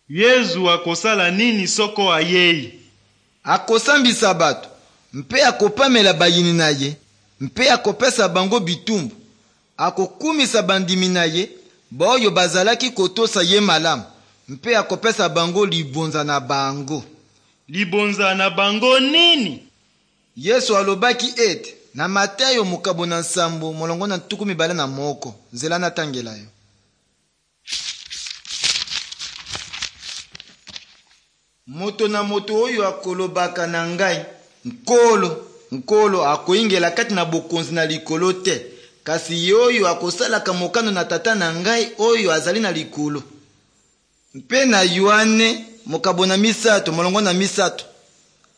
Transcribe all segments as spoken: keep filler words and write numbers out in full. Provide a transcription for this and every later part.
Yezu akosala nini soko ayei? Akosambisa bato mpe akopamela bayini na ye mpe akopesa bango bitumbu. Akokumisa bandimi na ye baoyo bazalaki kotosa ye malamu mpe akopesa bango libonza na bango. Libonza na bango nini? Yesu alobaki ete na Matayo mokabo na nsambo molongo na ntuku mibale na moko, nzela natangela yo. Moto na moto oyo akolobaka na ngai, Nkolo, Nkolo, akoyingela kati na bokonzi na likolo te, kasi ye oyo akosalaka mokano na Tata na ngai oyo azali na likolo. Mpe na Yoane mokabo na misato molongo na misato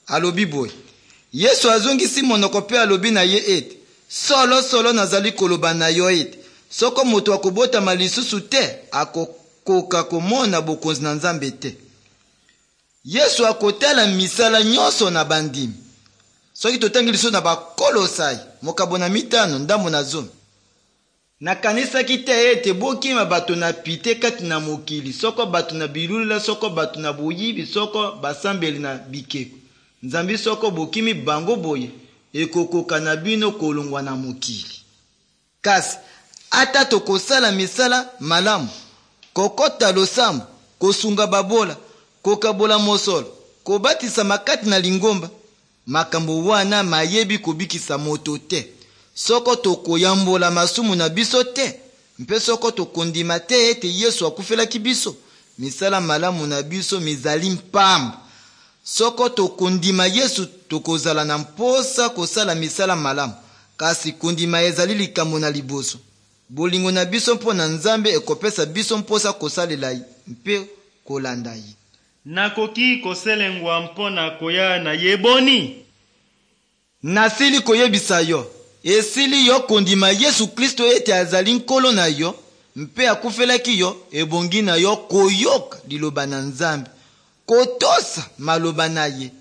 alobi boye: Yesu azongisi monoko mpe alobi na ye ete, solo solo nazali koloba na yo ete soko moto akobotama lisusu te, akokoka komona bokonzi na Nzambe te. Yesu akotala misala nyonso na bandimi. Soki totangi lisusu na Bakolosai mokabo na mitano ndambo na zomi. Nakanisaki te ete bokima bato na pite kati na mokili, soko bato na bilulela, soko bato na boyibi, soko basambeli na bikeko. Nzambi soko bokimi bango boye, ekokoka na bino kolongwa na mokili. Kasi ata tokosala misala malamu, kokota losambo, kosunga babola, kokabola mosolo, kobatisama kati na lingomba, makambo wana mayebi kobikisa moto te soko tokoyambola masumu na biso te mpe soko tokondima te ete Yesu akufelaki biso. Misala malamu na biso mizali mpamba. Soko tokondima Yesu, tokozala na mposa kosala misala malamu, kasi kondima ezali likambo na liboso. Bolingo na biso mpo na Nzambe ekopesa biso mposa kosalela ye mpe kolanda ye. Nakoki koselengwa mpo na koya na ye boni? Nasili koyebisa yo, esili yo kondima Yesu Kristo ete azali Nkolo na yo mpe akufelaki yo, ebongi na yo koyoka liloba na Nzambe, kotosa maloba na ye